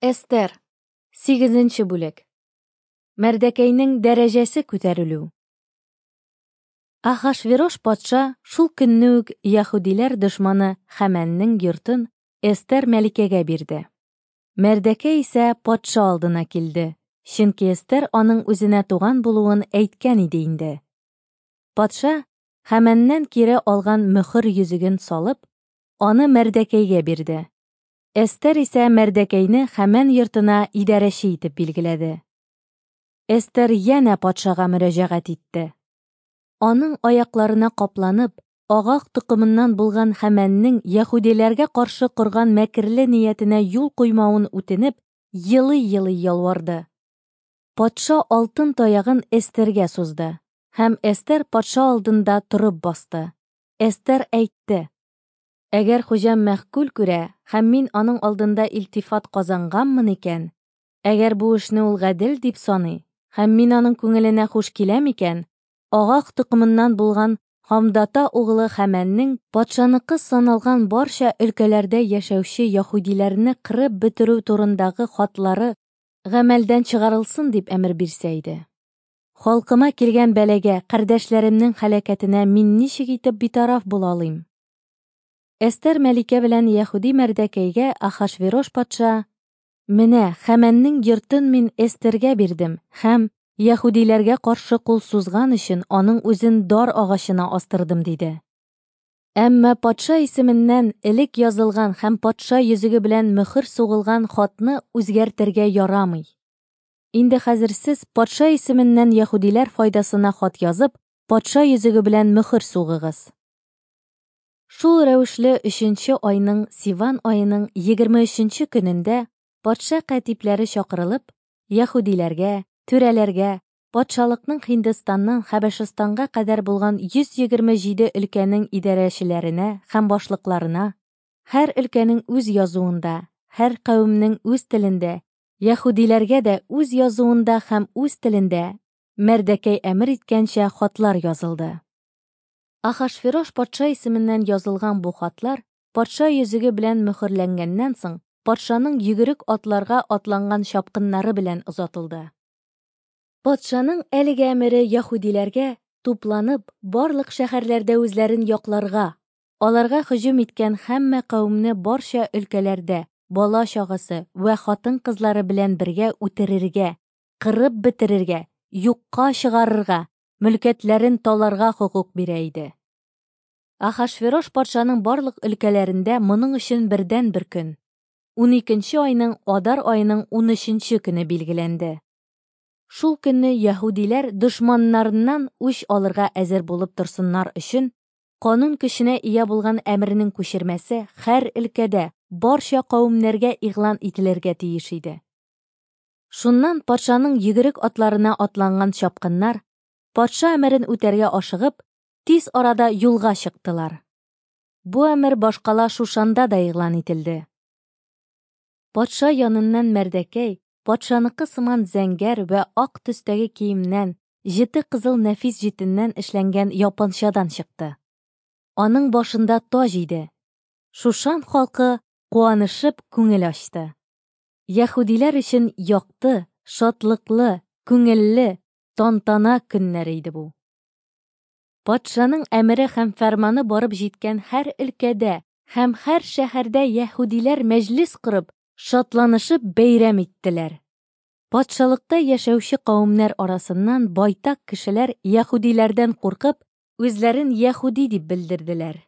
Эстер, сигезенче бүлек. Мәрдәкәйнең дәрәҗәсе күтәрелү. Ахашверош патша шул көнне үк яһүдиләр дошманы Хәмәннең йортын Эстер мәликәгә бирде. Мәрдәкәй исә патша алдына килде, чөнки Эстер аның үзенә туган булуын әйткән иде инде. Патша Хәмәннән кире алган мөхер йөзеген салып, аны Мәрдәкәйгә бирде. Эстер исә Мәрдәкәйне Хәмән йортына идарәче итеп билгеләде. Эстер янә патшага мөрәҗәгать итте. Аның аякларына капланып, Агаг токымыннан булган Хәмәннең яһүдиләргә каршы корган мәкерле ниятенә юл куймавын үтенеп, елый-елый ялварды. Патша алтын таягын Эстергә сузды, һәм Эстер патша алдында торып басты. Эстер әйтте: Әгәр хуҗам мәгъкуль күрә һәм мин аның алдында илтифат казанганмын икән, әгәр бу эшне ул гадел дип саный һәм мин аның күңеленә хуш киләм икән, Агаг токымыннан булган Һамдата углы Хәмәннең патшаныкы саналган барча өлкәләрдә яшәүче яһүдиләрне кырып бетерү турындагы хатлары гамәлдән чыгарылсын дип әмер бирсә иде. Халкыма килгән бәлагә, кардәшләремнең һәлакәтенә мин ничек итеп битараф була алыйм? Эстер мәликә белән яһүди Мәрдәкәйгә Ахашверош патша: Менә, Хәмәннең йортын мин Эстергә бирдем һәм, яһүдиләргә каршы кул сузган өчен, аның үзен дар агачына астырдым, диде. Әмма патша исеменнән элек язылган һәм патша йөзеге белән мөхер сугылган хатны үзгәртергә ярамый. Инде хәзер сез патша исеменнән яһүдиләр файдасына хат язып, патша йөзеге белән мөхер сугыгыз. Шул рәвешле өченче айның Сиван аеның 23 нче көнендә патша кәтипләре чакырылып, яһүдиләргә, түрәләргә, патшалыкның Һиндстаннан Хәбәшстанга кадәр булган 127 өлкәнең идарәчеләренә һәм башлыкларына, һәр өлкәнең үз язуында, һәр кавемнең үз телендә, яһүдиләргә дә үз язуында һәм үз телендә Мәрдәкәй әмер иткәнчә хатлар язылды. Ахашверош патша исеменнән язылган бу хатлар, патша йөзеге белән мөхерләнгәннән соң, патшаның йөгерек атларга атланган чапкыннары белән озатылды. Патшаның әлеге әмере яһүдиләргә, тупланып, барлык шәһәрләрдә үзләрен якларга, аларга һөҗүм иткән һәммә кавемне барча өлкәләрдә, бала-чагасы вә хатын-кызлары белән бергә үтерергә, кырып бетерергә, юкка чыгарырга, мөлкәтләрен таларга хокук бирә иде. Ахашверош патшаның барлык өлкәләрендә моның өчен бердәнбер көн, уникенче айның Адар аеның унөченче көне билгеләнде. Шул көнне яһүдиләр дошманнарыннан үч алырга әзер булып торсыннар өчен, канун көченә ия булган әмернең күчермәсе һәр өлкәдә, барча кавемнәргә игълан ителергә тиеш иде. Шуннан патшаның йөгерек атларына атланган чапкыннар, патша әмерен үтәргә ашыгып, тиз арада юлга чыктылар. Бу әмер башкала Шушанда да игълан ителде. Патша яныннан Мәрдәкәй, патшаныкы сыман зәңгәр вә ак төстәге киемнән, җете кызыл нәфис җитеннән эшләнгән япанчадан чыкты. Аның башында таҗ иде. Шушан халкы куанышып күңел ачты. Яһүдиләр өчен якты, шатлыклы, күңелле, тантана көннәре иде бу. Патшаның әмере һәм фәрманы барып җиткән һәр өлкәдә һәм һәр шәһәрдә яһүдиләр мәҗлес корып, шатланышып бәйрәм иттеләр. Патшалыкта яшәүче кавемнәр арасыннан байтак кешеләр яһүдиләрдән куркып, үзләрен яһүди дип белдерделәр.